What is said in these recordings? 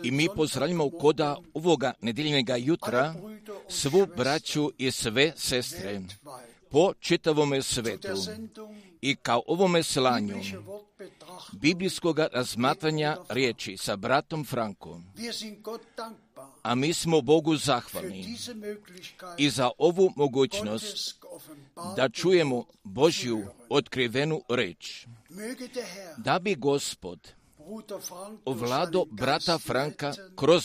I mi pozdravljamo koda ovoga nedjeljnega jutra svu braću i sve sestre po čitavome svetu i kao ovome slanju biblijskog razmatranja riječi sa bratom Frankom. A mi smo Bogu zahvalni i za ovu mogućnost da čujemo Božju otkrivenu reč. Da bi Gospod ovlado brata Franka kroz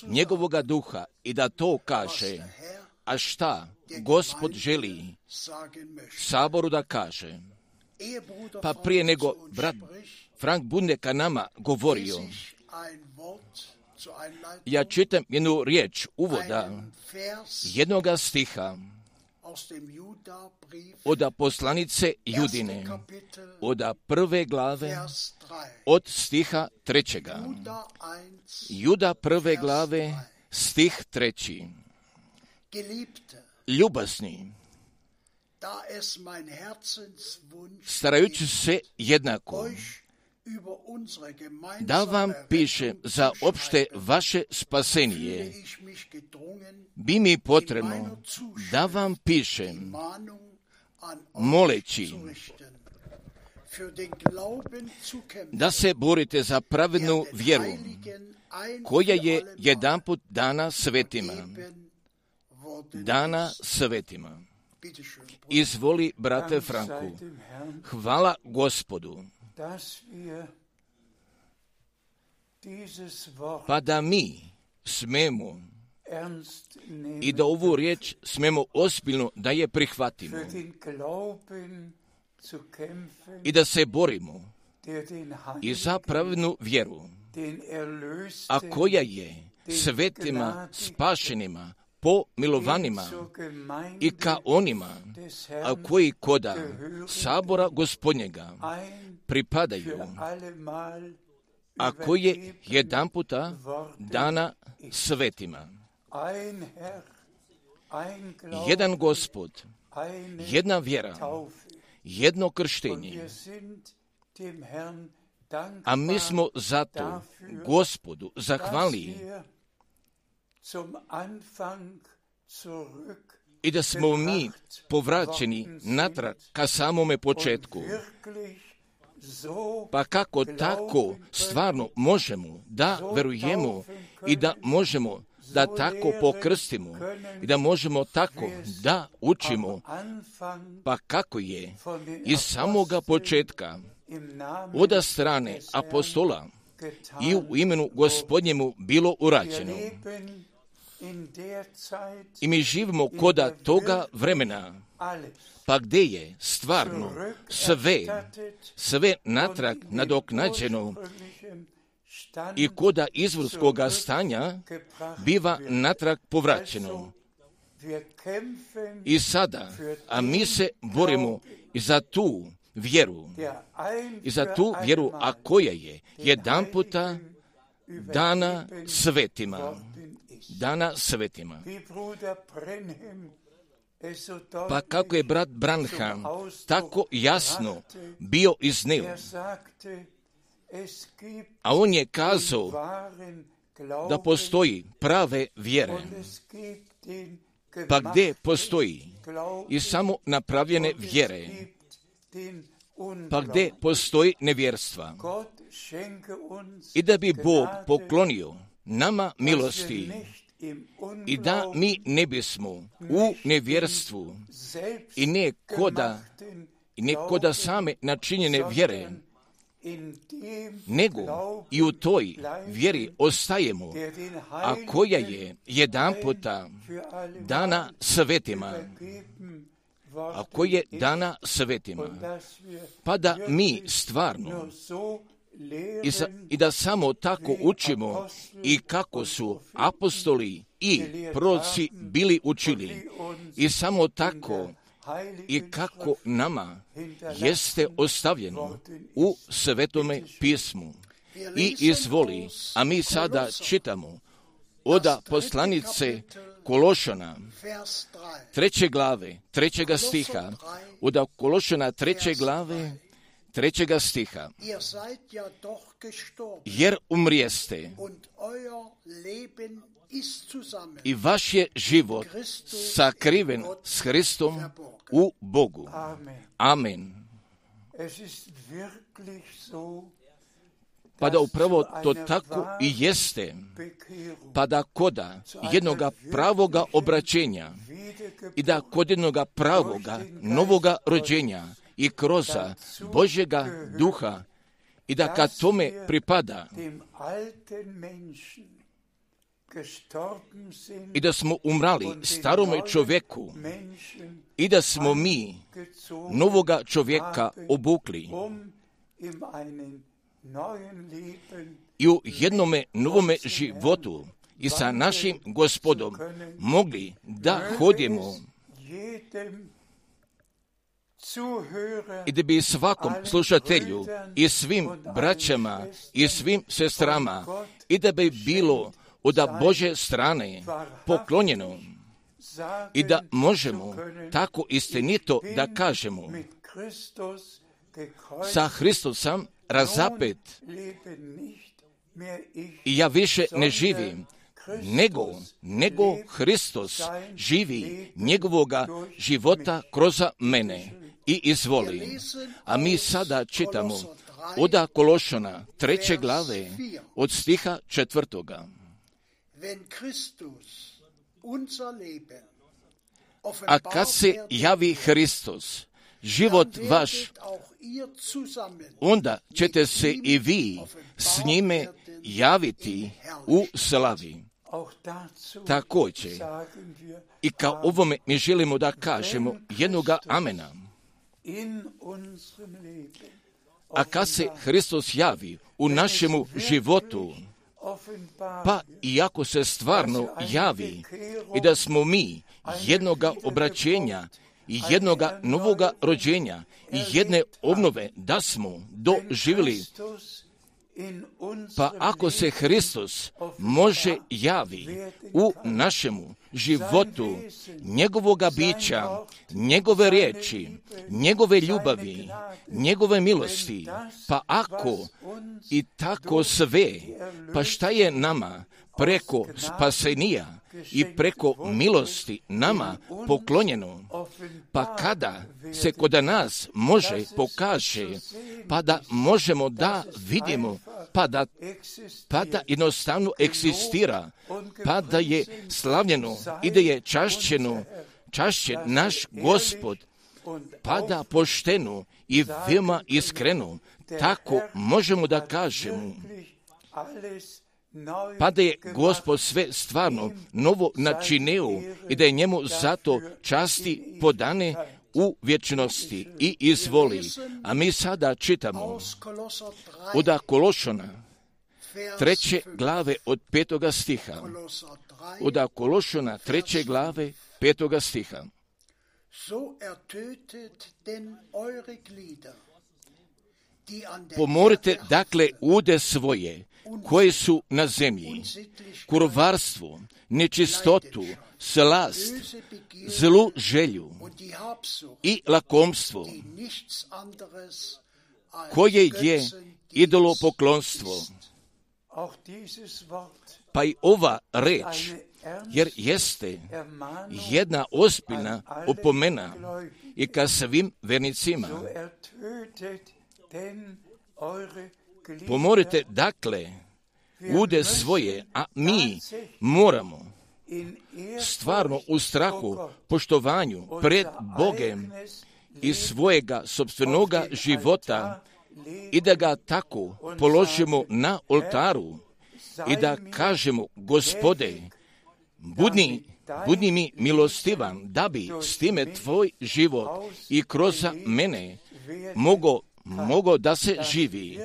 njegovoga duha i da to kaže, a šta Gospod želi saboru da kaže. Pa prije nego brat Frank bude ka nama govorio, ja čitam jednu riječ uvoda jednoga stiha od poslanice Judine, od 1. glave, od stiha 3. Juda 1. glave, stih 3. Ljubazni, starajući se jednako da vam pišem za opšte vaše spasenije, bi mi potrebno da vam pišem, moleći da se borite za pravednu vjeru, koja je jedanput dana svetima. Dana svetima. Izvoli, brate Franku, hvala Gospodu, pa da mi smemo i da ovu riječ smemo ozbiljno da je prihvatimo i da se borimo i za pravednu vjeru, a koja je svetima spašenima, pomilovanima i ka onima, a koji koda sabora Gospodnjega pripadaju, a koje jedanputa dana svetima. Jedan Gospod, jedna vjera, jedno krštenje, a mi smo zato Gospodu zahvalni i da smo mi povraćeni natrag ka samome početku. Pa kako tako stvarno možemo da verujemo i da možemo da tako pokrstimo i da možemo tako da učimo, pa kako je iz samoga početka od strane apostola i u imenu Gospodnjemu bilo urađeno. I mi živimo koda toga vremena, pa gdje je stvarno sve natrag nadoknađeno i koda izvorskoga stanja biva natrag povraćeno. I sada, a mi se borimo i za tu vjeru, a koja je jedanputa dana svetima. Dana svetima. Pa kako je brat Branham tako jasno bio iznio, a on je kazao da postoji prave vjere, pa gdje postoji i samo napravljene vjere, pa gdje postoji nevjerstva. I da bi Bog poklonio nama milosti i da mi ne bismo u nevjerstvu i ne koda same načinjene vjere, nego i u toj vjeri ostajemo, a koja je jedanputa dana svetima, pa da mi stvarno i da samo tako učimo i kako su apostoli i proroci bili učili i samo tako i kako nama jeste ostavljeno u Svetome pismu. I izvoli, a mi sada čitamo od poslanice Kološana, 3. glave, 3. stiha, od Kološana 3. glave, 3. stiha. Jer umrijeste i vaš je život sakriven s Hristom u Bogu. Amen. Pa da upravo to tako i jeste, pa da koda jednoga pravoga obraćenja i da kod jednoga pravoga novoga rođenja i kroz Božjega duha i da kad tome pripada i da smo umrali starome čovjeku i da smo mi novoga čovjeka obukli i u jednome novome životu i sa našim Gospodom mogli da hodimo i da bi svakom slušatelju i svim braćama i svim sestrama i da bi bilo od Božje strane poklonjeno i da možemo tako istinito da kažemo: sa Hristusom razapet i ja više ne živim, nego Hristos živi njegovoga života kroz mene i izvoli. A mi sada čitamo od Kološana 3. glave od stiha 4. A kad se javi Hristos, život vaš, onda ćete se i vi s njime javiti u slavi. Također, i kao ovome mi želimo da kažemo jednoga amena. A kad se Hristos javi u našemu životu, pa iako se stvarno javi i da smo mi jednoga obraćenja i jednoga novoga rođenja i jedne obnove da smo doživjeli, pa ako se Hristos može javi u našemu životu, njegovoga bića, njegove riječi, njegove ljubavi, njegove milosti, pa ako i tako sve, pa šta je nama preko spasenija i preko milosti nama poklonjeno, pa kada se kod nas može pokaže, pa da možemo da vidimo, pa da jednostavno eksistira, pa da je slavljeno i da je čašćen naš Gospod, pa da pošteno i veoma iskreno, tako možemo da kažemo, pa da je Gospod sve stvarno novo načinio i da je njemu zato časti podane u vječnosti i izvoli. A mi sada čitamo od Kološana 3. glave od 5. stiha. Od Kološana 3. glave 5. stiha. Pomorite dakle ude svoje koje su na zemlji, kurvarstvo, nečistotu, slast, zlu želju i lakomstvo, koje je idolopoklonstvo. Pa i ova reč, jer jeste jedna ozbiljna opomena i ka svim vernicima. Pomorite dakle ude svoje, a mi moramo stvarno u strahu, poštovanju pred Bogem i svojega sopstvenoga života i da ga tako položimo na oltaru i da kažemo: Gospode, budi mi milostivan da bi s time tvoj život i kroz mene mogo da se živi,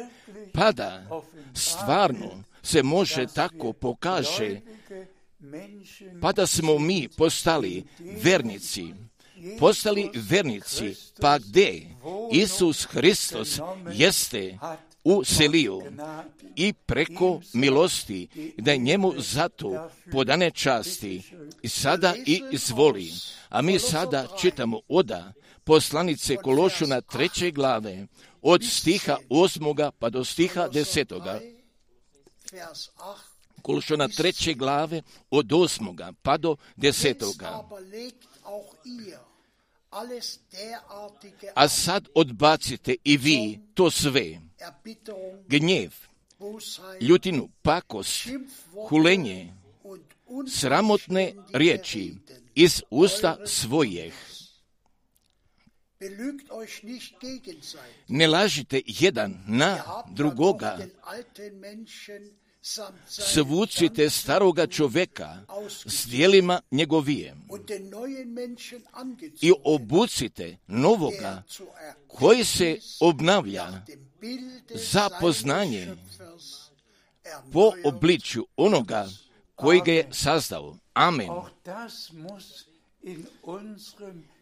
pa da stvarno se može tako pokaže, pa da smo mi postali vernici, pa gdje Isus Hristos jeste uselio i preko milosti, da je njemu zato podane časti i sada i izvoli. A mi sada čitamo od poslanice Kološana 3. glave od stiha 8. pa do stiha 10. Kološana 3. glave od 8. pa do 10. A sad odbacite i vi to sve: gnjev, ljutinu, pakost, hulenje, sramotne riječi iz usta svojih. Ne lažite jedan na drugoga, svucite staroga čovjeka s djelima njegovijem i obucite novoga koji se obnavlja za poznanje po obličju onoga koji ga je sazdao. Amen.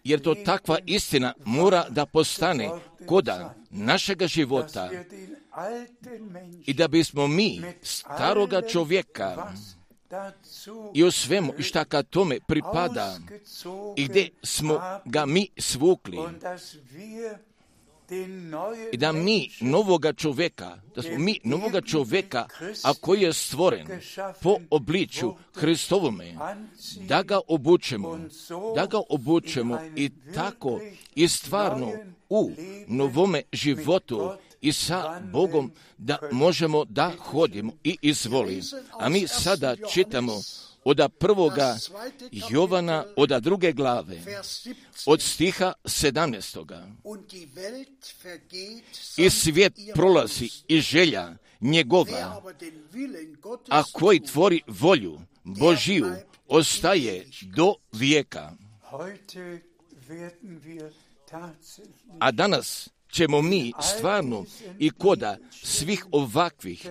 Jer to takva istina mora da postane koda našega života i da bismo mi staroga čovjeka i o svemu i šta ka tome pripada i gdje smo ga mi svukli i da mi novoga čovjeka, da smo mi novoga čovjeka, a koji je stvoren po obličju Hristovome, da ga obučemo i tako i stvarno u novome životu i sa Bogom da možemo da hodimo i izvoli. A mi sada čitamo od 1. Jovana, od 2. glave, od stiha 17. I svijet prolazi i želja njegova, a koji tvori volju Božiju ostaje do vijeka. A danas ćemo mi stvarno i koda svih ovakvih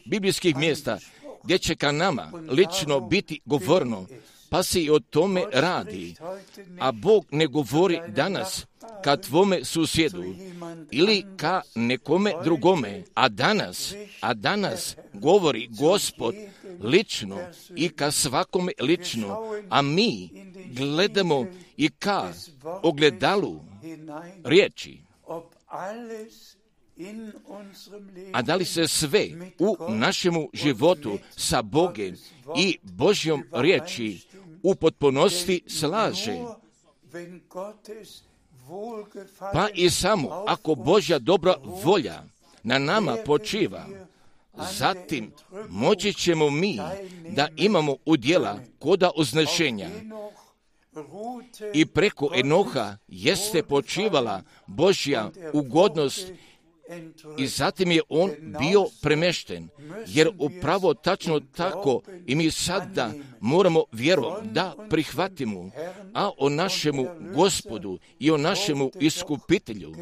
biblijskih mjesta gdje će ka nama lično biti govorno, pa se i o tome radi. A Bog ne govori danas ka tvome susjedu ili ka nekome drugome, a danas govori Gospod lično i ka svakome lično, a mi gledamo i ka ogledalu riječi. A da li se sve u našemu životu sa Bogom i Božjom riječi u potpunosti slaže? Pa i samo ako Božja dobra volja na nama počiva, zatim moći ćemo mi da imamo udjela koda uznešenja. I preko Enoha jeste počivala Božja ugodnost i zatim je on bio premješten, jer upravo tačno tako i mi sada moramo vjerom da prihvatimo, a o našemu Gospodu i o našemu iskupitelju,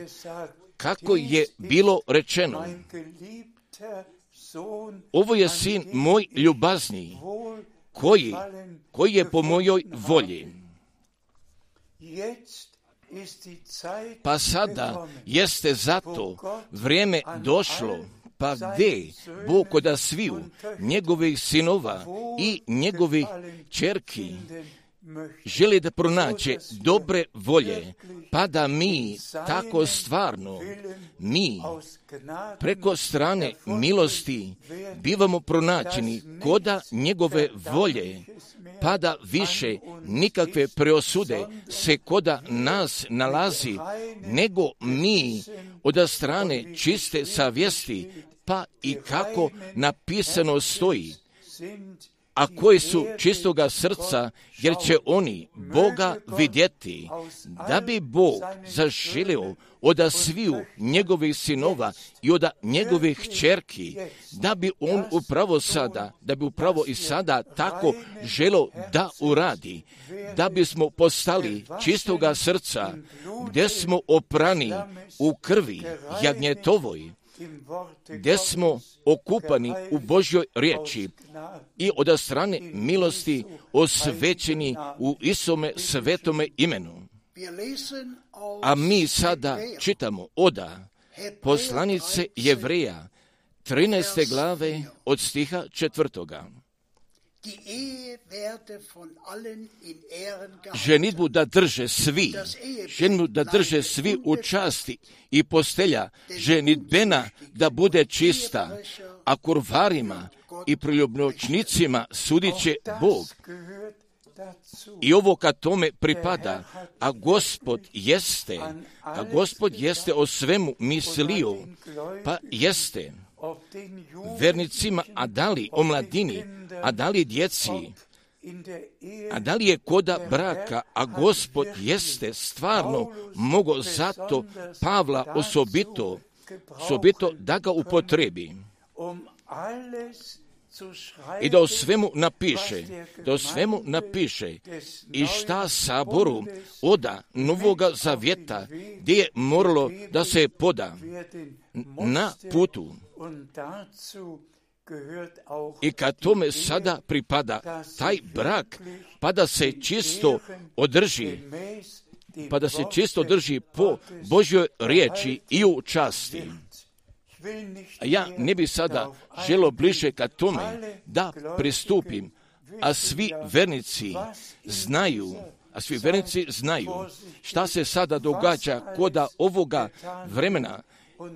kako je bilo rečeno, ovo je sin moj ljubazni, koji je po mojoj volji. Pa sada jeste zato vrijeme došlo, pa gdje Bog koda sviju njegovih sinova i njegovih ćerki želi da pronađe dobre volje, pa da mi tako stvarno, mi preko strane milosti bivamo pronađeni koda njegove volje, pa da više nikakve preosude se koda nas nalazi, nego mi od strane čiste savjesti, pa i kako napisano stoji, a koji su čistoga srca, jer će oni Boga vidjeti, da bi Bog zaželio od sviju njegovih sinova i od njegovih kćerki, da bi on upravo i sada tako želio da uradi, da bismo postali čistoga srca, gdje smo oprani u krvi jagnjetovoj, gdje smo okupani u Božjoj riječi i od strane milosti osvećeni u Isome svetome imenu. A mi sada čitamo od poslanice Jevreja 13. glave od stiha 4. Ženidbu da drže svi u časti i postelja ženidbena da bude čista, a kurvarima i priljubnoćnicima sudit će Bog. I ovo kad tome pripada, a Gospod jeste o svemu mislio, pa jeste vernicima, a da li o mladini, a da li djeci, a da li je koda braka, a Gospod jeste stvarno mogo zato Pavla osobito da ga upotrebi i da o svemu napiše i šta saboru oda Novoga Zavjeta gdje je moralo da se poda na putu. I kad tome sada pripada taj brak, pa da se čisto održi po Božjoj riječi i u časti. Ja ne bi sada želio bliže ka tome da pristupim, a svi vernici znaju šta se sada događa koda ovoga vremena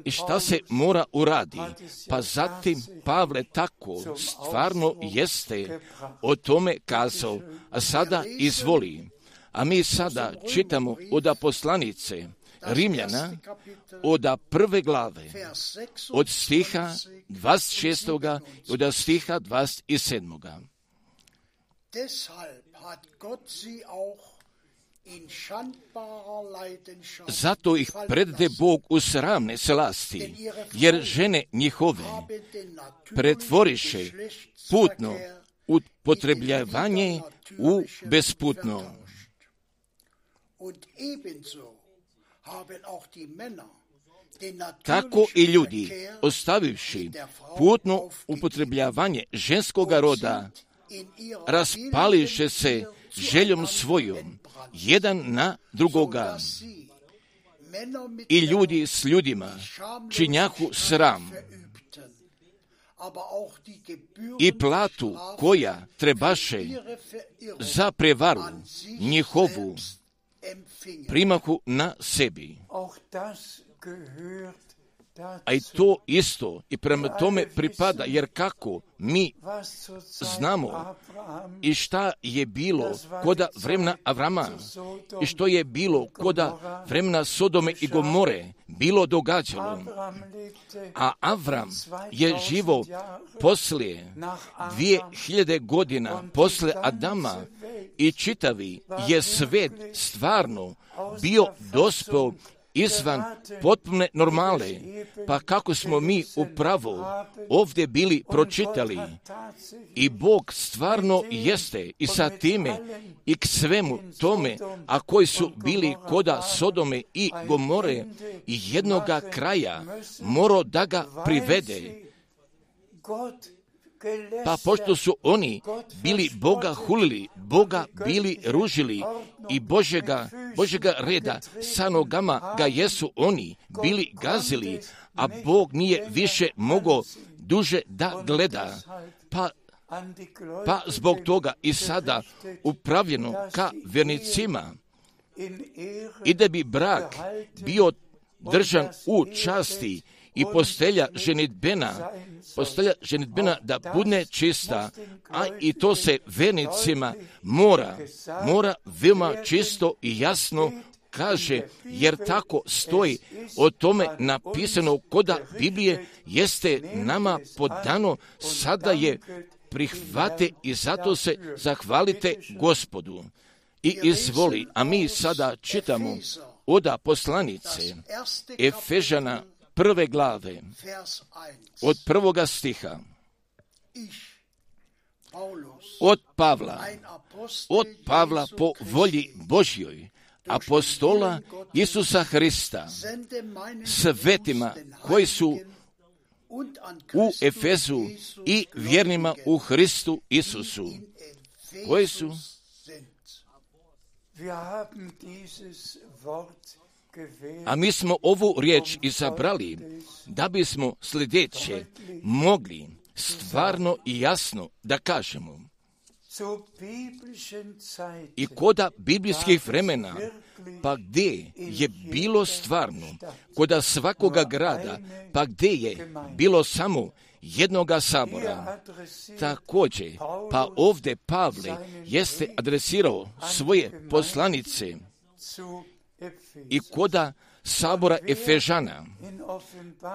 i šta se mora uradi. Pa zatim Pavle tako stvarno jeste o tome kazao, a sada izvoli. A mi sada čitamo od poslanice Rimljana, od 1. glave, od stiha 26. i od stiha 27. Zato ih predde Bog u sramne slasti, jer žene njihove pretvoriše putno upotrebljavanje u besputno. Tako i ljudi, ostavivši putno upotrebljavanje ženskoga roda, raspališe se željom svojom, jedan na drugoga. I ljudi s ljudima činjahu sram i platu koja trebaše za prevaru njihovu primahu na sebi. A i to isto i prema tome pripada, jer kako mi znamo i šta je bilo koda vremena Avrama i što je bilo koda vremena Sodome i Gomore bilo događalo. A Avram je živo poslije 2000 godina posle Adama i čitavi je svet stvarno bio dospeo izvan potpune normale, pa kako smo mi upravo ovdje bili pročitali i Bog stvarno jeste i sa time i k svemu tome, a koji su bili koda Sodome i Gomore i jednoga kraja morao da ga privede. Pa pošto su oni bili Boga hulili, Boga bili ružili i Božega reda sa nogama ga jesu oni bili gazili, a Bog nije više mogao duže da gleda. Pa zbog toga i sada upravljeno ka vernicima i da bi brak bio držan u časti i postelja ženidbena da bude čista, a i to se vernicima mora veoma čisto i jasno kaže, jer tako stoji o tome napisano koda Biblije jeste nama podano, sada je prihvate i zato se zahvalite Gospodu. I izvoli, a mi sada čitamo od poslanice Efežana 1. glave, od 1. stiha. Od Pavla po volji Božjoj, apostola Isusa Hrista, svetima koji su u Efezu i vjernima u Hristu Isusu, koji su a mi smo ovu riječ izabrali da bismo sljedeće mogli stvarno i jasno da kažemo. I koda biblijskih vremena, pa gdje je bilo stvarno, koda svakoga grada, pa gdje je bilo samo jednoga sabora. Također, pa ovdje Pavle jeste adresirao svoje poslanice i koda sabora Efežana,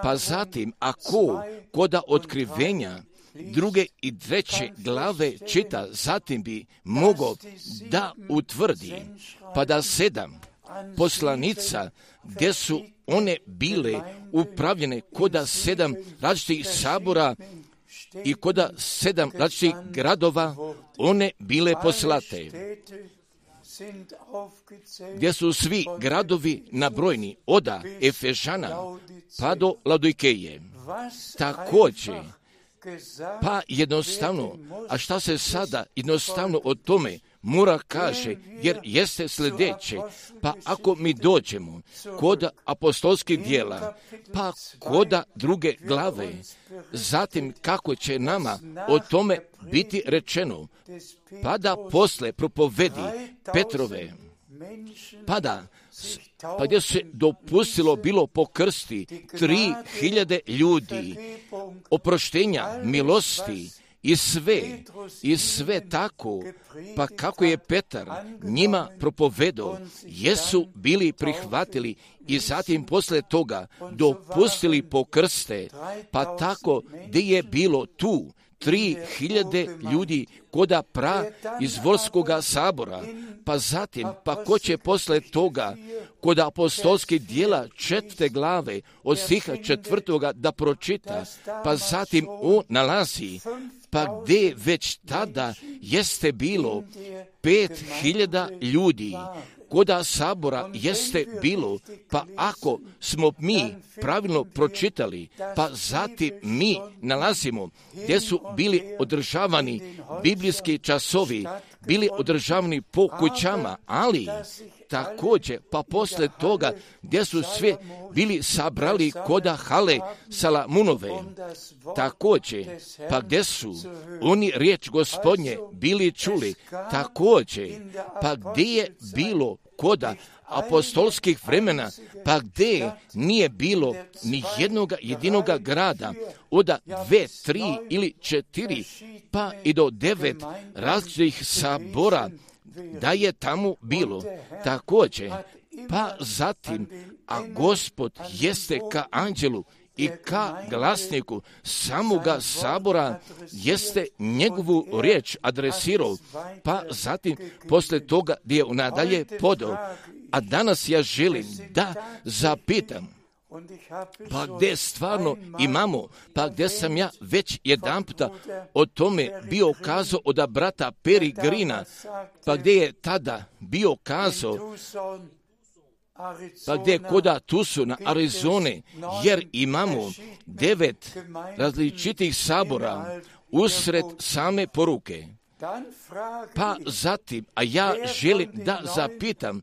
pa zatim ako koda otkrivenja 2. i 3. glave čita, zatim bi mogao da utvrdi, pa da 7 poslanica, gdje su one bile upravljene koda 7 različitih sabora i koda 7 različitih gradova, one bile poslate, gdje su svi gradovi nabrojni od Efežana pa do Laodikeje. Također, pa jednostavno, a šta se sada jednostavno o tome mora kaže, jer jeste sljedeće, pa ako mi dođemo kod apostolskih djela, pa kod druge glave, zatim kako će nama o tome biti rečeno, pa da posle propovedi Petrove, pa gdje se dopustilo bilo pokrsti 3000 ljudi, oproštenja, milosti i sve tako, pa kako je Petar njima propovedao, jesu bili prihvatili i zatim posle toga dopustili pokrste, pa tako gdje je bilo tu 3000 ljudi koda izvorskoga sabora, pa zatim, pa ko će posle toga kod apostolskih djela 4. glave od stiha 4. da pročita, pa zatim on nalazi, pa gdje već tada jeste bilo 5000 ljudi, koda sabora jeste bilo, pa ako smo mi pravilno pročitali, pa zatim mi nalazimo gdje su bili održavani biblijski časovi, bili održavani po kućama, ali također, pa posle toga gdje su sve bili sabrali koda hale Salamunove, također, pa gdje su oni riječ Gospodnje bili čuli, također, pa gdje je bilo koda apostolskih vremena, pa gdje nije bilo ni jedinoga grada, od 2, 3 ili 4, pa i do 9 različitih sabora, da je tamo bilo također, pa zatim, a Gospod jeste ka anđelu i ka glasniku samoga sabora jeste njegovu riječ adresirao, pa zatim posle toga gdje je nadalje podao. A danas ja želim da zapitam, pa gdje stvarno imamo, pa gdje sam ja već jedanputa o tome bio kazao od brata Peri Grina, pa gdje je tada bio kazao, pa gdje koda Tucsona, Arizone, jer imamo 9 različitih sabora usred same poruke. Pa zatim, a ja želim da zapitam,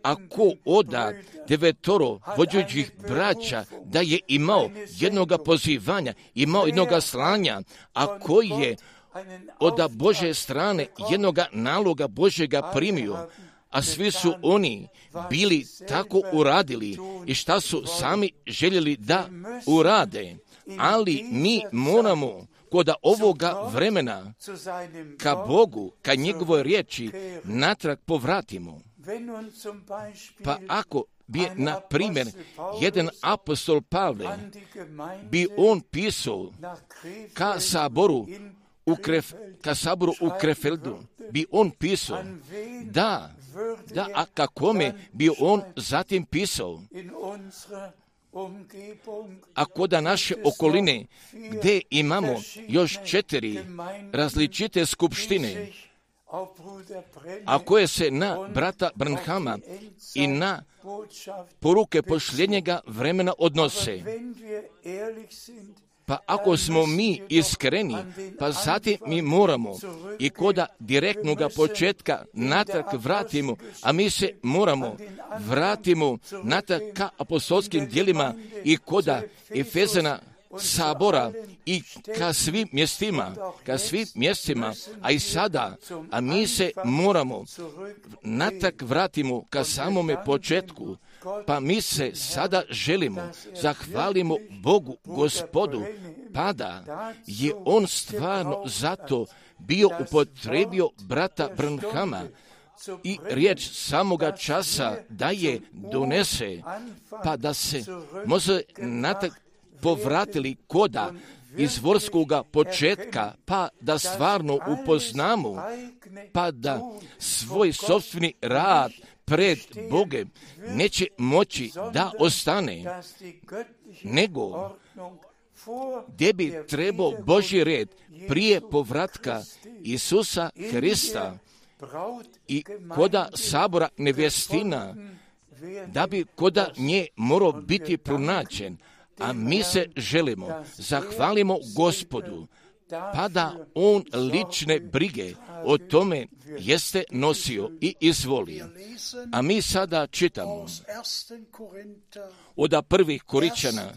ako od 9 vođućih braća da je imao jednoga pozivanja, imao jednoga slanja, a koji je od Božje strane jednoga naloga Božjega primio, a svi su oni bili tako uradili i šta su sami željeli da urade, ali mi moramo kod ovoga vremena ka Bogu, ka njegovoj riječi natrag povratimo. Pa ako bi, na primjer, jedan apostol Pavle, bi on pisao ka saboru u Krefeldu, bi on pisao, a kakome bi on zatim pisao, a kod naše okoline, gdje imamo još 4 različite skupštine, a koje se na brata Branhama i na poruke posljednjega vremena odnose. Pa ako smo mi iskreni, pa zatim mi moramo i koda direktnog početka natrag vratimo, a mi se moramo vratimo natrag ka apostolskim djelima i koda Efezana sabora i ka svim mjestima, a i sada, a mi se moramo natrag vratimo ka samome početku. Pa mi se sada želimo, zahvalimo Bogu, Gospodu, pa da je on stvarno zato bio upotrebio brata Branhama i riječ samoga časa da je donese, pa da se može natrag povratili koda izvorskoga početka, pa da stvarno upoznamo, pa da svoj sopstveni rad pred Bogem neće moći da ostane, nego gdje bi trebao Božji red prije povratka Isusa Hrista i koda sabora nevjestina, da bi koda nje morao biti pronađen. A mi se želimo, zahvalimo Gospodu, pa da on lične brige o tome jeste nosio i izvoli. A mi sada čitamo od 1. Koričana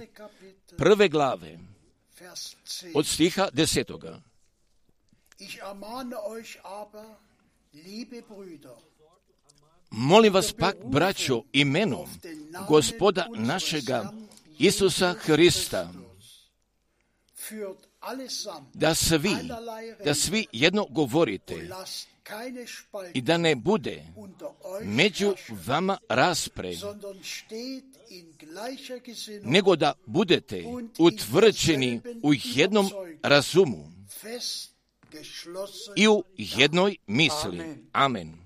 1. glave od stiha 10. Molim vas pak, braćo, imenom Gospoda našega Isusa Hrista, da svi jedno govorite i da ne bude među vama raspre, nego da budete utvrđeni u jednom razumu i u jednoj misli. Amen.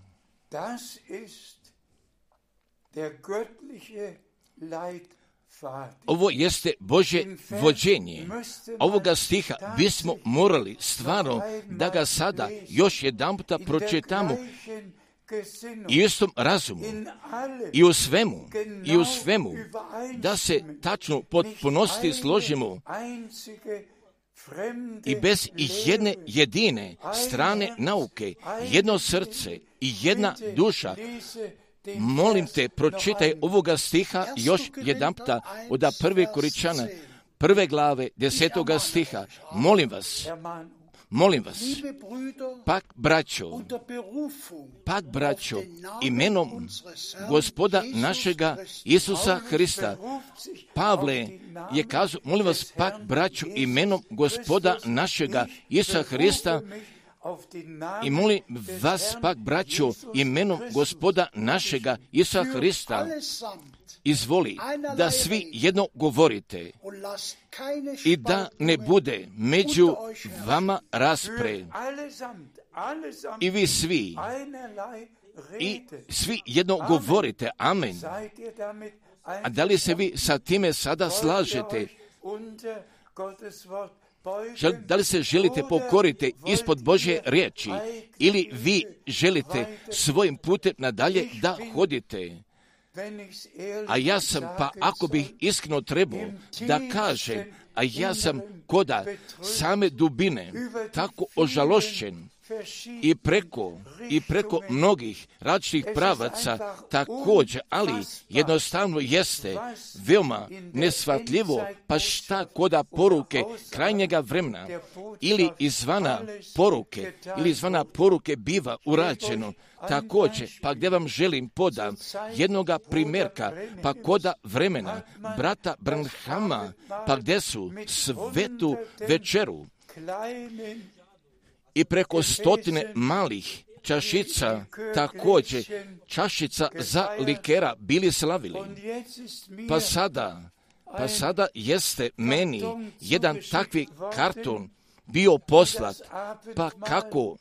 Ovo jeste Božje vođenje. Ovoga stiha bismo morali stvarno da ga sada još jedanputa pročitamo i istom razumu i u svemu da se tačno potpunosti složimo i bez jedne jedine strane nauke, jedno srce i jedna duša. Molim te, pročitaj ovoga stiha još jedanputa od 1. Koričana 1. glave 10. stiha. Molim vas, pak braćo, imenom Gospoda našega Isusa Hrista. Pavle je kazao, molim vas, pak braćo, imenom Gospoda našega Isusa Hrista, i molim vas pak, braćo, imenom Gospoda našega Isusa Hrista, izvoli da svi jedno govorite i da ne bude među vama raspre. I vi svi jedno govorite. Amen. A da li se vi sa time sada slažete? Da li se želite pokoriti ispod Božje riječi ili vi želite svojim putem nadalje da hodite? A ja sam, pa ako bih iskreno trebao da kažem, a ja sam koda same dubine tako ožalošćen i preko mnogih različitih pravaca također, ali jednostavno jeste veoma neshvatljivo, pa šta koda poruke krajnjega vremena ili izvana poruke biva urađeno. Također, pa gdje vam želim podam jednoga primjerka, pa koda vremena brata Branhama, pa gdje su svetu večeru i preko 100 malih čašica, također čašica za likera bili slavili. Pa sada jeste meni jedan takvi karton bio poslat, pa kako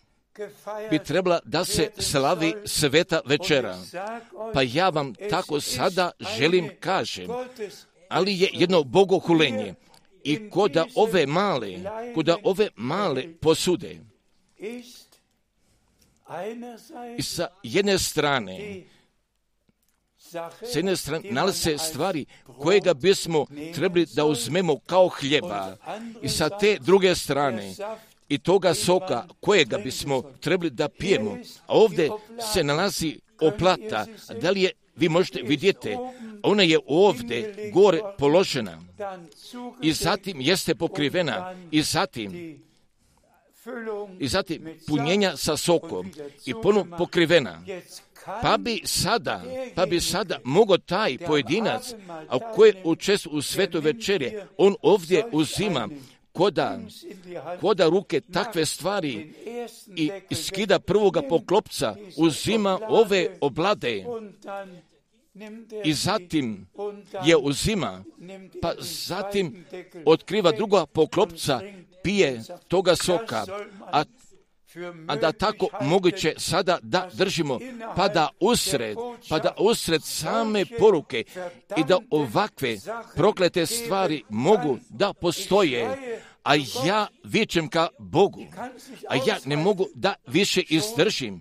bi trebala da se slavi sveta večera. Pa ja vam tako sada želim kažem, ali je jedno bogohulenje i koda ove male posude. I sa jedne strane nalaze stvari kojega bismo trebali da uzmemo kao hljeba. I sa te druge strane i toga soka kojega bismo trebali da pijemo. A ovdje se nalazi oplata. Da li je, vi možete vidjeti, ona je ovdje gore položena i zatim jeste pokrivena i zatim punjenja sa sokom i ponovno pokrivena. Pa bi sada mogao taj pojedinac, a koji učestvuje u svetoj večeri, on ovdje uzima koda ruke takve stvari i skida prvoga poklopca, uzima ove oblade i zatim je uzima, pa zatim otkriva druga poklopca, pije toga soka, a da tako moguće sada da držimo, pa da usred same poruke i da ovakve proklete stvari mogu da postoje, a ja vičem ka Bogu, a ja ne mogu da više izdržim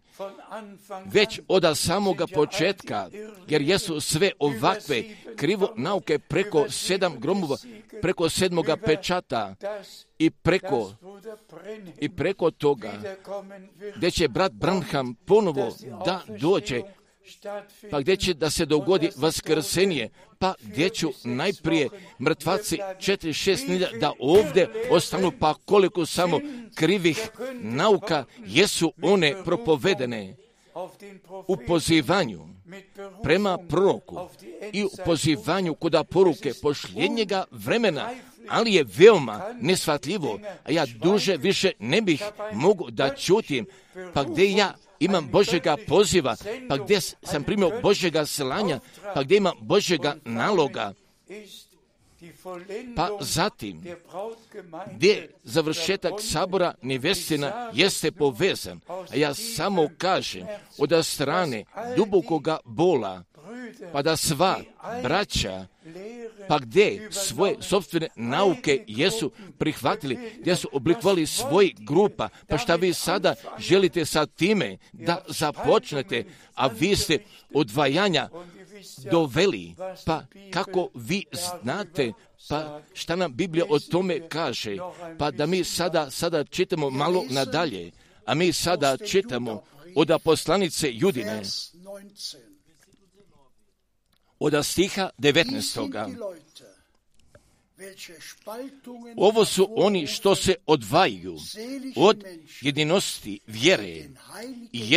već od samoga početka, jer jesu sve ovakve krivo nauke preko 7 gromova, preko 7. pečata i preko toga, gdje će brat Branham ponovo da dođe, pa gdje će da se dogodi vaskrsenje, pa gdje ću najprije mrtvaci 4-6 milja da ovdje ostanu, pa koliko samo krivih nauka jesu one propovedene u pozivanju prema proroku i u pozivanju koda poruke posljednjega vremena, ali je veoma neshvatljivo, a ja duže više ne bih mogu da čutim, pa gdje ja imam Božjega poziva, pa gdje sam primio Božjega slanja, pa gdje imam Božjega naloga, pa zatim gdje završetak sabora nevjestina jeste povezan, a ja samo kažem od strane dubokoga bola, pa da sva braća, pa gdje svoje sopstvene nauke jesu prihvatili, gdje su oblikovali svoj grupa, pa šta vi sada želite sa time da započnete, a vi ste odvajanja doveli, pa kako vi znate, pa šta nam Biblija o tome kaže, pa da mi sada čitamo malo nadalje, a mi sada čitamo od poslanice Judine, od stiha 19. Ovo su oni što se odvajaju od jedinosti vjere i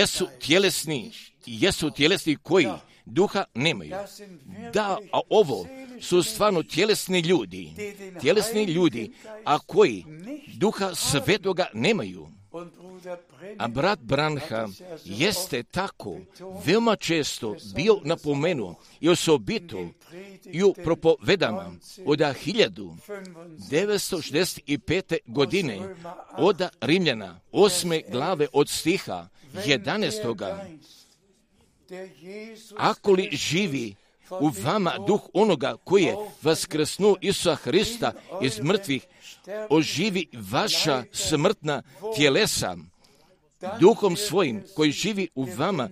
jesu tjelesni koji duha nemaju. Da, a ovo su stvarno tjelesni ljudi, a koji duha svetoga nemaju. A brat Branham jeste tako veoma često bio napomenuo i osobito i u propovedama od 1965. godine od Rimljana 8. glave od stiha 11. Ako li živi u vama duh onoga koji je vaskrsnuo Isusa Hrista iz mrtvih, oživi vaša smrtna tjelesa duhom svojim koji živi u vama,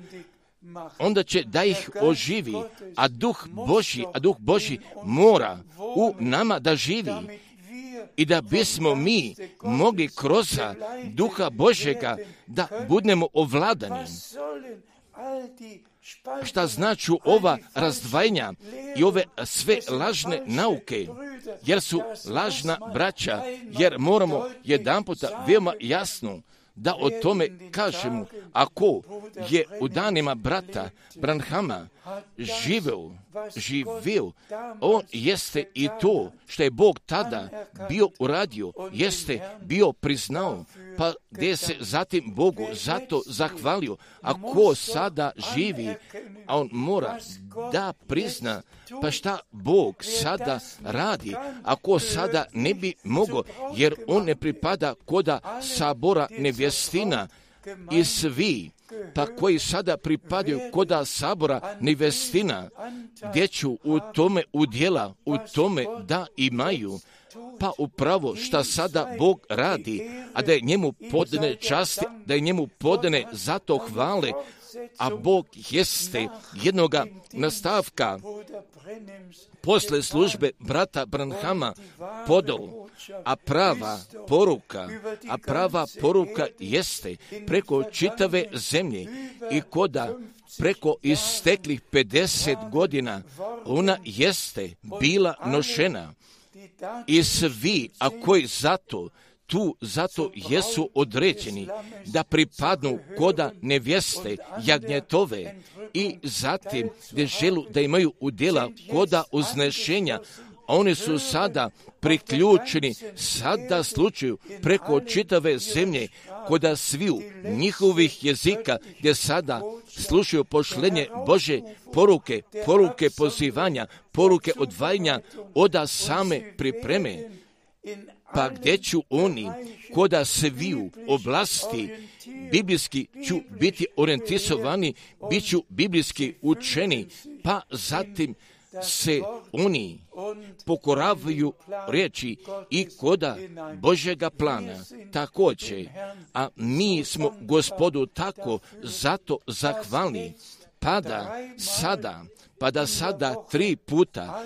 onda će da ih oživi, a duh Božji mora u nama da živi i da bismo mi mogli kroz duha Božjega da budemo ovladani. Šta znači ova razdvajanja i ove sve lažne nauke, jer su lažna braća, jer moramo jedanputa veoma jasno da o tome kažemo, ako je u danima brata Branhama živio, on jeste i to što je Bog tada bio uradio, jeste bio priznao, pa gdje se zatim Bogu zato zahvalio. Ako sada živi, a on mora da prizna, pa šta Bog sada radi, ako sada ne bi mogao, jer on ne pripada koda sabora nevjestina i svi, pa koji sada pripadaju koda sabora nevjestina, gdje ću u tome udjela, u tome da imaju, pa upravo šta sada Bog radi, a da je njemu podane časti, da je njemu podane zato hvale, a Bog jeste jednoga nastavka posle službe brata Branhama podao, a prava poruka jeste preko čitave zemlje i koda preko isteklih 50 godina ona jeste bila nošena i svi, a koji zato jesu određeni da pripadnu koda nevjeste jagnjetove i zatim gdje želu da imaju udjela koda uznešenja, oni su sada priključeni sada slučaju preko čitave zemlje koda sviju njihovih jezika gdje sada slušaju pošlenje Bože poruke pozivanja, poruke odvajanja oda same pripreme. Pa gdje ću oni koda sviju oblasti biblijski ću biti orijentisovani, bit ću biblijski učeni, pa zatim se oni pokoravaju riječi i koda Božjega plana također, a mi smo Gospodu tako zato zahvalni, pa da sada 3 puta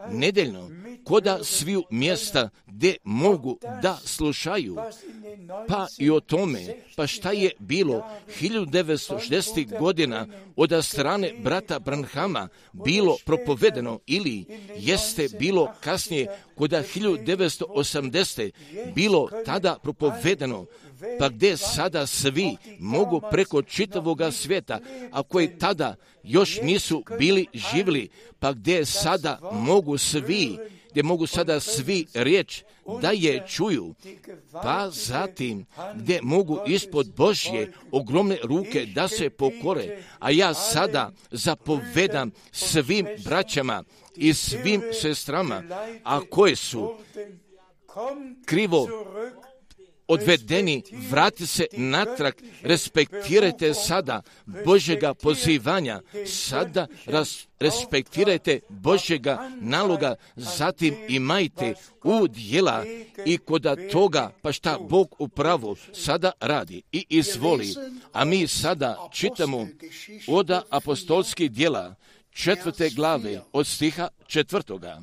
nedeljno, koda sviju mjesta gdje mogu da slušaju, pa i o tome, pa šta je bilo 1960. godina od strane brata Branhama bilo propovedeno ili jeste bilo kasnije koda 1980. bilo tada propovedeno, pa gdje sada svi mogu preko čitavoga svijeta, a koji tada još nisu bili živjeli, pa gdje sada mogu sada svi riječ da je čuju, pa zatim gdje mogu ispod Božje ogromne ruke da se pokore, a ja sada zapovedam svim braćama i svim sestrama, a koje su krivo odvedeni, vrati se natrag, respektirajte sada Božjega pozivanja, sada respektirajte Božjega naloga, zatim imajte udjela i koda toga, pa šta Bog upravo sada radi i izvoli. A mi sada čitamo od apostolskih djela 4. glave od stiha 4.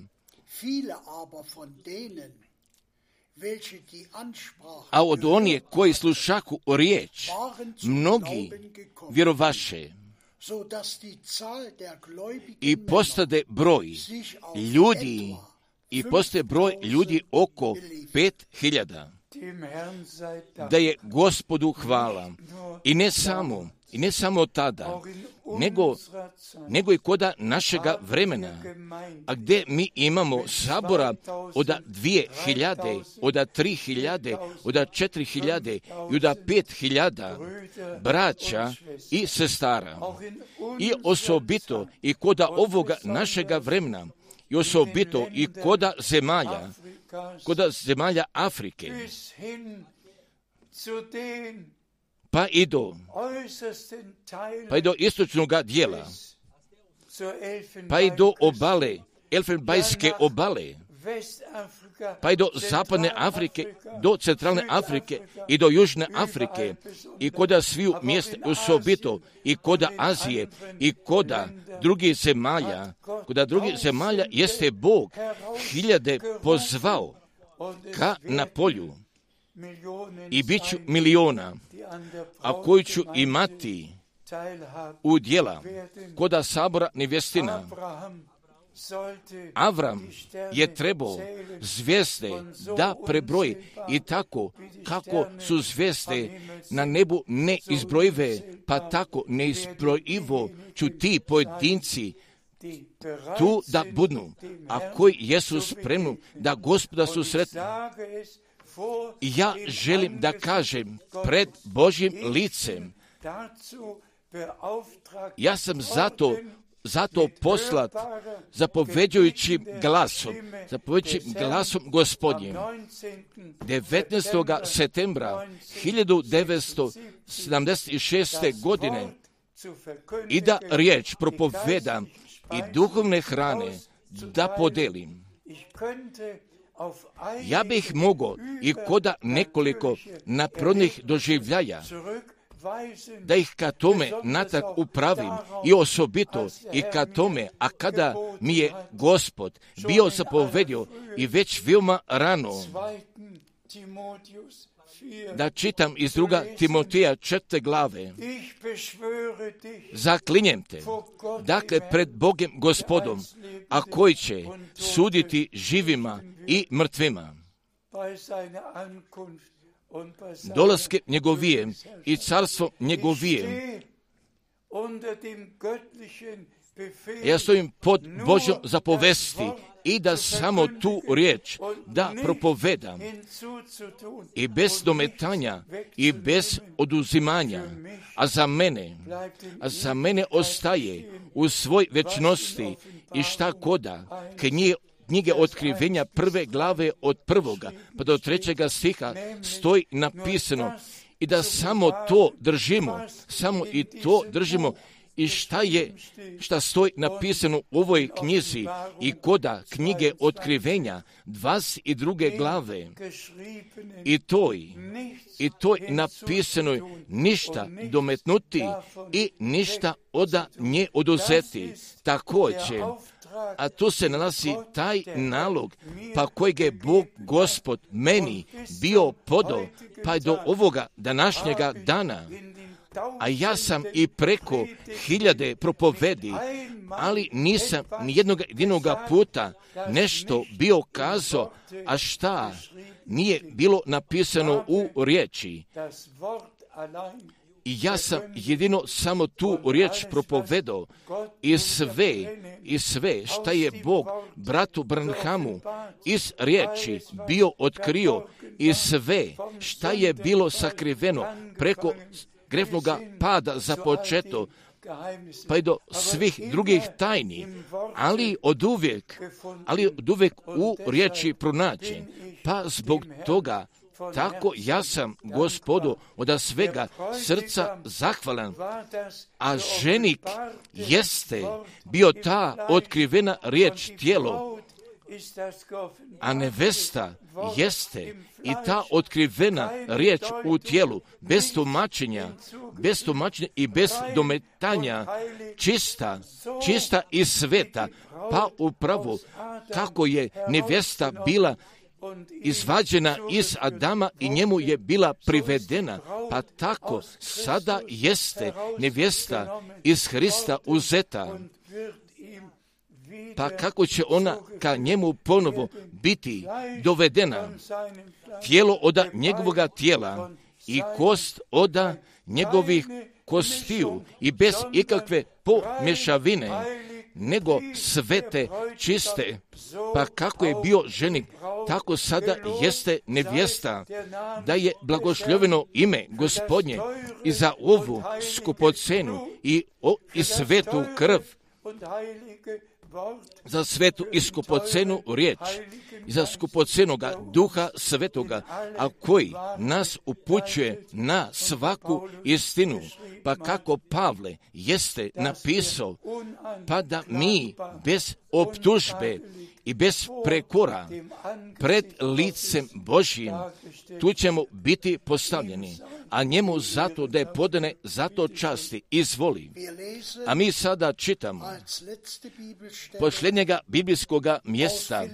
A od onih koji slušahu riječ, mnogi vjerovaše i postade broj ljudi oko 5.000. Da je Gospodu hvala. I ne samo tada, nego i koda našega vremena, a gdje mi imamo sabora od 2.000, od 3.000, od 4.000 i od 5.000 braća i sestara. I osobito i koda ovoga našega vremena, i osobito i koda zemalja Afrike, pa i do istočnog dijela, pa i do obale, Elfenbajske obale, pa i do zapadne Afrike, do centralne Afrike i do južne Afrike, i koda sviju mjesta, osobito i koda Azije, i koda drugih zemalja jeste Bog 1000 pozvao ka na polju, i bit ću miliona, a koji ću imati udjela koda sabora nevjestina. Avram je trebao zvijezde da prebroji, i tako kako su zvijezde na nebu neizbrojive, pa tako neizbrojivo ću ti pojedinci tu da budnu, a koji jesu spremni da Gospoda susretnu. I ja želim da kažem pred Božjim licem, ja sam zato poslat zapoveđujućim glasom Gospodnjim 19. septembra 1976. godine i da riječ propovedam i duhovne hrane da podelim. Ja bih mogao i koda nekoliko naprodnih doživljaja da ih ka tome natak upravim, i osobito i ka tome, a kada mi je Gospod bio zapovedio i već veoma rano da čitam iz 2. Timoteja 4. glave. Zaklinjem te, dakle pred Bogem Gospodom, a koji će suditi živima i mrtvima, dolaske njegovije i carstvo njegovije. Ja stojim pod Božjom zapovesti i da samo tu riječ da propovedam, i bez dometanja i bez oduzimanja, a za mene ostaje u svoj večnosti i šta koda knjige otkrivenja 1. glave od 1. pa do 3. stiha stoji napisano, i da samo to držimo, samo i to držimo, i šta stoji napisano u ovoj knjizi i koda knjige Otkrivenja 22. glave. I toj napisanoj ništa dometnuti i ništa oda nje oduzeti. Također, a tu se nalazi taj nalog, pa kojeg je Bog Gospod meni bio podao, pa do ovoga današnjega dana. A ja sam i preko 1000 propovedi, ali nisam ni jednoga puta nešto bio kazao, a šta nije bilo napisano u riječi. I ja sam jedino samo tu riječ propovedao i sve šta je Bog bratu Branhamu iz riječi bio otkrio i sve šta je bilo sakriveno preko grefnoga pada započeto, pa i do svih drugih tajni, ali od uvijek u riječi pronađen. Pa zbog toga tako ja sam Gospodu od svega srca zahvalan, a ženik jeste bio ta otkrivena riječ tijelo, a nevesta jeste i ta otkrivena riječ u tijelu, bez tumačenja i bez dometanja, čista i sveta, pa upravo kako je nevesta bila izvađena iz Adama i njemu je bila privedena, pa tako sada jeste nevjesta iz Hrista uzeta. Pa kako će ona ka njemu ponovo biti dovedena? Tijelo oda njegovoga tijela i kost oda njegovih kostiju i bez ikakve pomješavine, nego svete, čiste. Pa kako je bio ženik, tako sada jeste nevjesta, da je blagosloveno ime Gospodnje i za ovu skupocenu i svetu krv, za svetu i skupocenu riječ i za skupocenoga Duha Svetoga, a koji nas upućuje na svaku istinu. Pa kako Pavle jeste napisao, pa da mi bez optužbe i bez prekora pred licem Božjim tu ćemo biti postavljeni, a njemu zato da je podane zato časti izvoli. A mi sada čitamo posljednjega biblijskoga mjesta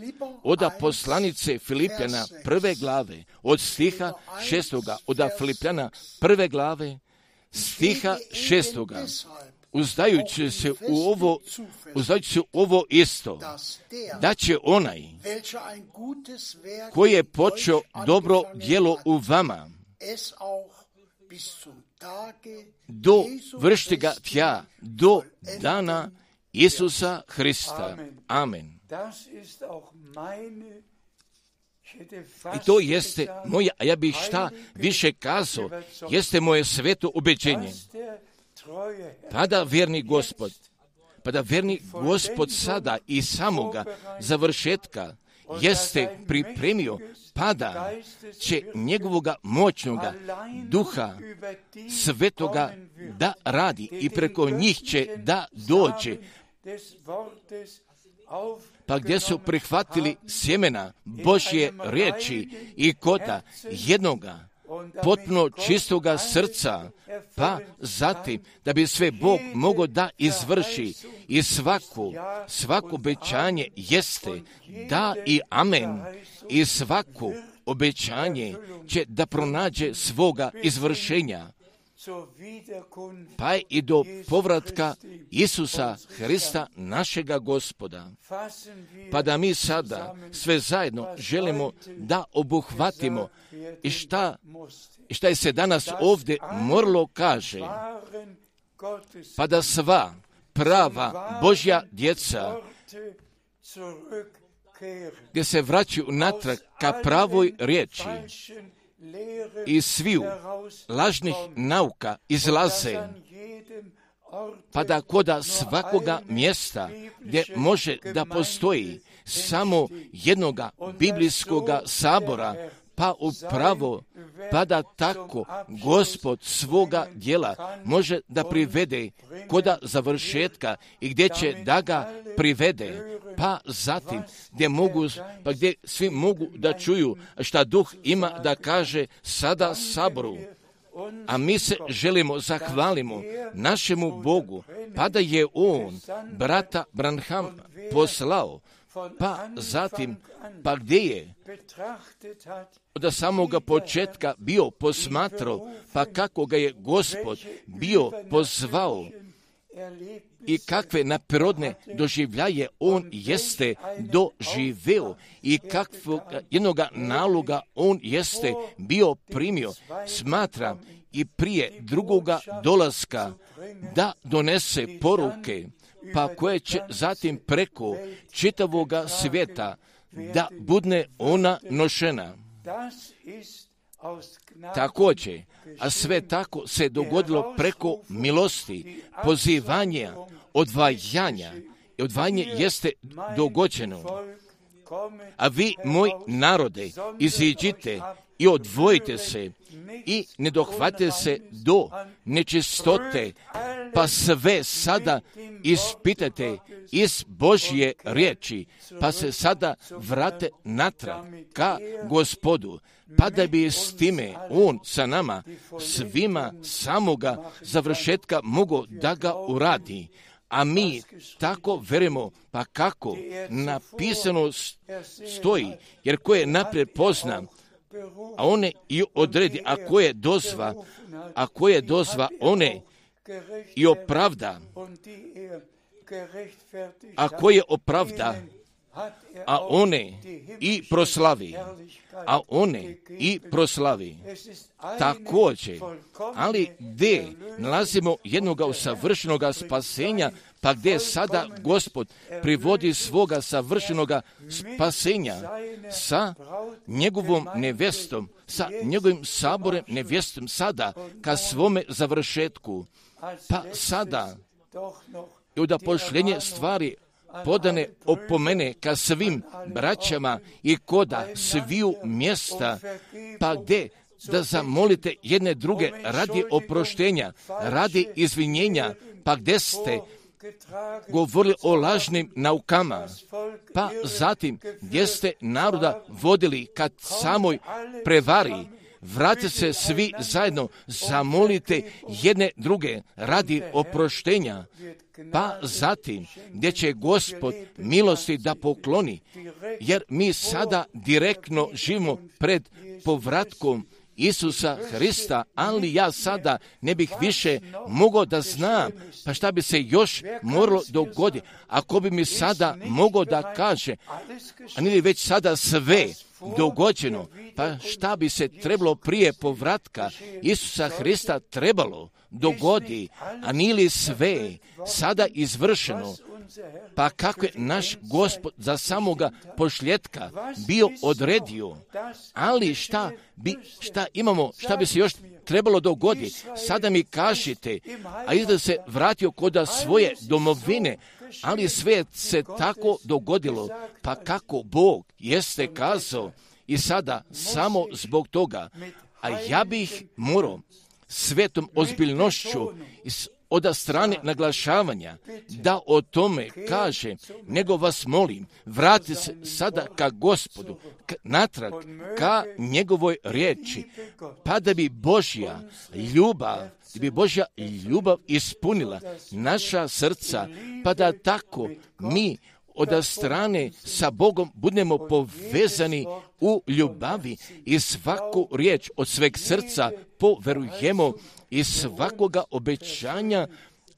od poslanice Filipljana 1. glave, od stiha 6. od Filipljana 1. glave, stiha 6. Uzdajući se u ovo isto, da će onaj koji je počeo dobro djelo u vama, do vršiti ga tja, do dana Isusa Hrista. Amen. I to jeste moje, a ja bih šta više kazao, jeste moje sveto ubeđenje. Pa da verni Gospod sada i samoga završetka jeste pripremio, pa da će njegovoga moćnoga Duha Svetoga da radi i preko njih će da dođe. Pa gdje su prihvatili sjemena Božje riječi i koda jednoga potpuno čistoga srca, pa zatim da bi sve Bog mogao da izvrši i svako obećanje jeste da i amen, i svako obećanje će da pronađe svoga izvršenja, pa i do povratka Isusa Hrista našega Gospoda. Pa da mi sada sve zajedno želimo da obuhvatimo i šta je se danas ovdje moralo kaže, pa da sva prava Božja djeca gdje se vraćaju natrag ka pravoj riječi i sviju lažnih nauka izlaze, pa da koda svakoga mjesta gdje može da postoji samo jednoga biblijskoga sabora, Pa upravo, pa da tako Gospod svoga djela može da privede koda završetka i gdje će da ga privede, pa zatim gdje svi mogu da čuju šta Duh ima da kaže sada saboru. A mi se želimo zahvalimo našemu Bogu, pa da je On brata Branham poslao, pa zatim, pa gdje je od samoga početka bio posmatrao, pa kako ga je Gospod bio pozvao i kakve naprirodne doživljaje on jeste doživeo i kakvog jednoga naloga on jeste bio primio, smatram i prije drugoga dolaska da donese poruke, pa koje će zatim preko čitavoga svijeta da budne ona nošena. Također, a sve tako se dogodilo preko milosti, pozivanja, odvajanja. I odvajanje jeste dogođeno. A vi, moj narode, iziđite i odvojite se i ne dohvatite se do nečistote, pa sve sada ispitate iz Božje riječi, pa se sada vrate natrag ka Gospodu, pa da bi s time On sa nama svima samoga završetka mogao da ga uradi. A mi tako verujemo, pa kako napisano stoji, jer ko je naprijed pozna, a one i odredi, a ko je dozva, one i opravda, a ko je opravda, a one i proslavi, također, ali gdje nalazimo jednoga savršenoga spasenja, pa gdje sada Gospod privodi svoga savršenoga spasenja sa njegovom nevjestom, sa njegovim saborem nevjestom sada ka svome završetku, pa sada i da pošljenje stvari podane opomene ka svim braćama i koda sviju mjesta, pa gdje da zamolite jedne druge radi oproštenja, radi izvinjenja, pa gdje ste govorili o lažnim naukama, pa zatim gdje ste naroda vodili kad samoj prevari, vratite se svi zajedno, zamolite jedne druge radi oproštenja, pa zatim gdje će Gospod milosti da pokloni, jer mi sada direktno živimo pred povratkom Isusa Hrista, ali ja sada ne bih više mogao da znam, pa šta bi se još moralo dogoditi, ako bi mi sada mogao da kaže, a nije već sada sve dogođeno, pa šta bi se trebalo prije povratka Isusa Hrista trebalo dogodi, a nije li sve sada izvršeno, pa kako je naš Gospod za samoga pošljetka bio odredio, ali šta bi se još trebalo dogoditi, sada mi kažete, a izda se vratio kod svoje domovine, ali sve se tako dogodilo, pa kako Bog jeste kazao i sada samo zbog toga, a ja bih morao svetom ozbiljnošću od strane naglašavanja da o tome kaže, nego vas molim, vrati se sada ka Gospodu, natrag ka njegovoj riječi, pa da bi Božja ljubav ispunila naša srca, pa da tako mi od strane sa Bogom budemo povezani u ljubavi i svaku riječ od sveg srca poverujemo i svakoga obećanja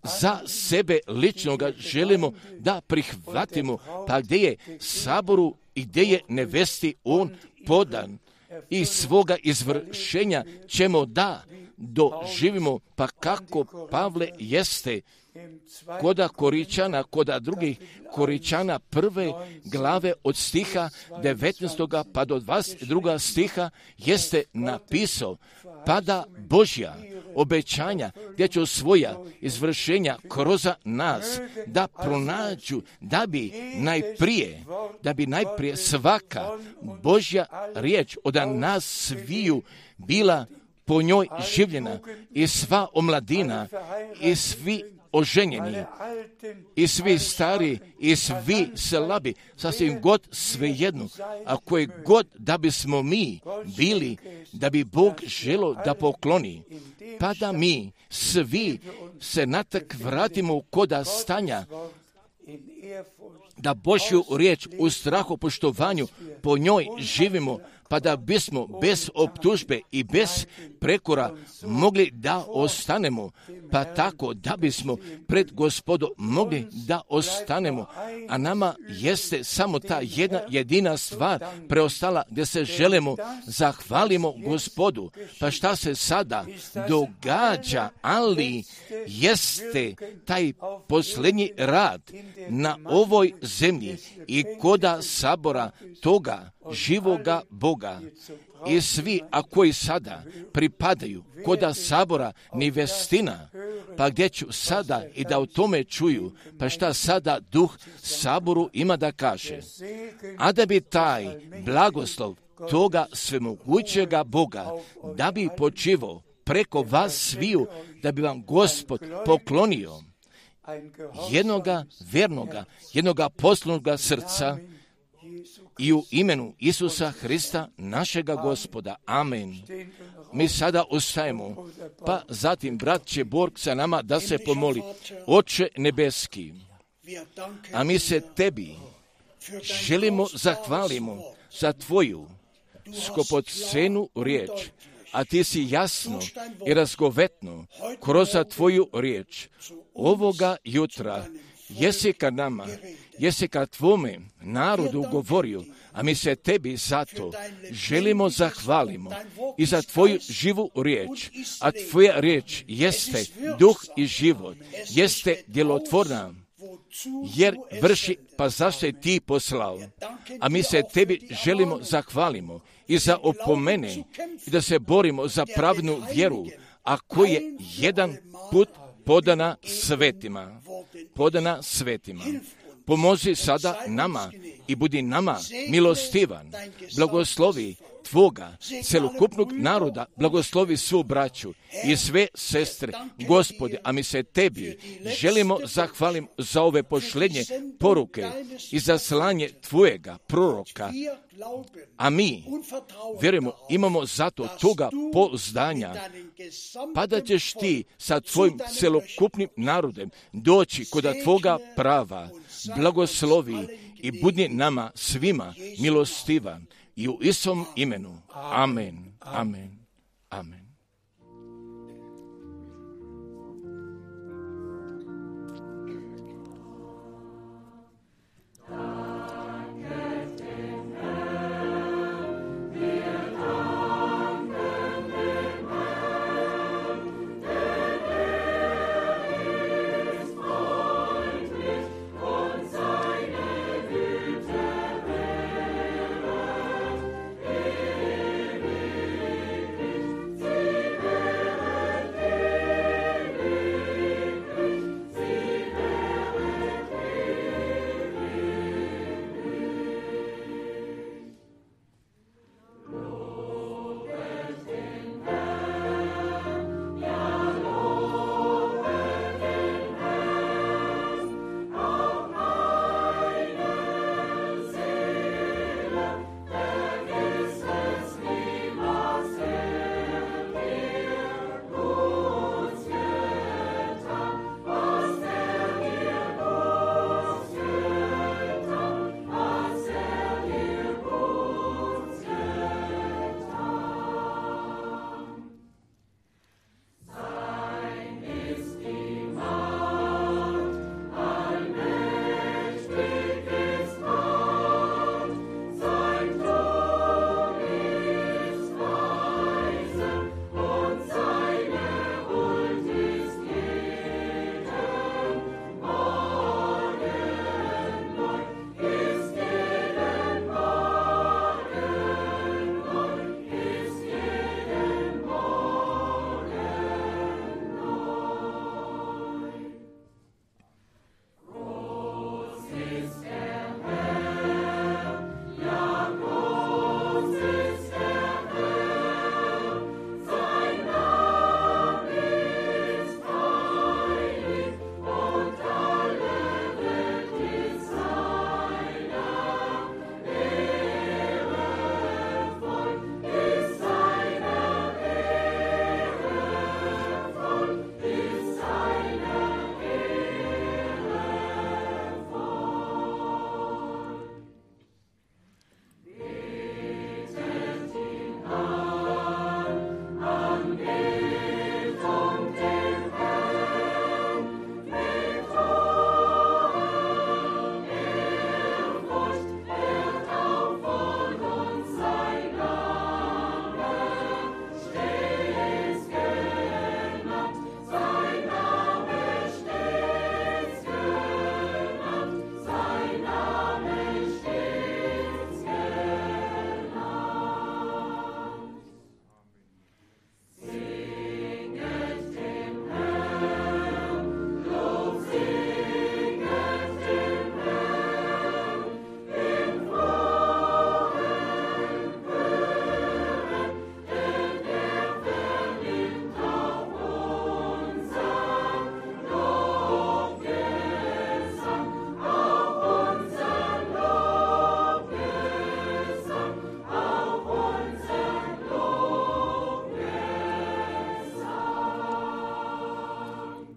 za sebe ličnoga želimo da prihvatimo, pa gdje je saboru i gdje je nevesti on podan i svoga izvršenja ćemo da doživimo, pa kako Pavle jeste koda Koričana, koda drugih Koričana 1. glave od stiha 19. pa do 22. stiha jeste napisao, pa da Božja obećanja, gdje će svoja izvršenja kroz nas da pronađu, da bi najprije svaka Božja riječ od nas sviju bila po njoj življena i sva omladina i svi oženjeni i svi stari i svi slabi, sasvim god svejedno, a koje god da bismo mi bili, da bi Bog želio da pokloni, pa da mi svi se natak vratimo koda stanja, da Božju riječ u strahu poštovanju po njoj živimo, pa da bismo bez optužbe i bez prekora mogli da ostanemo, pa tako da bismo pred Gospodom mogli da ostanemo, a nama jeste samo ta jedna jedina stvar preostala gdje se želimo zahvalimo Gospodu. Pa šta se sada događa, ali jeste taj posljednji rad na ovoj zemlji i koda sabora toga živoga Boga. I svi, a koji sada pripadaju koda sabora nevestina, pa gdje ću sada i da o tome čuju, pa šta sada duh saboru ima da kaže. A da bi taj blagoslov toga svemogućega Boga, da bi počivao preko vas sviju, da bi vam Gospod poklonio jednoga vernoga, jednoga poslušnoga srca, i u imenu Isusa Hrista, našega Gospoda. Amen. Mi sada ustajemo, pa zatim brat će Borg sa nama da se pomoli. Oče nebeski, a mi se tebi želimo zahvalimo za tvoju skupocenu riječ, a ti si jasno i razgovetno kroz tvoju riječ ovoga jutra jesi ka nama, jesi ka tvome narodu govorio, a mi se tebi zato želimo zahvalimo i za tvoju živu riječ, a tvoja riječ jeste duh i život, jeste djelotvorna, jer vrši, pa zašto je ti poslao, a mi se tebi želimo zahvalimo i za opomene i da se borimo za pravnu vjeru, a koji je jedan put podana svetima. Pomozi sada nama i budi nama milostivan. Blagoslovi tvoga celokupnog naroda, blagoslovi svu braću i sve sestre, Gospode, a mi se tebi želimo zahvalim za ove posljednje poruke i za slanje tvojega proroka, a mi vjerujemo, imamo zato toga pouzdanja, pa da ćeš ti sa tvojim celokupnim narodem doći koda tvoga prava, blagoslovi i budi nama svima milostivan i u istom imenu. Amen. Amen. Amen.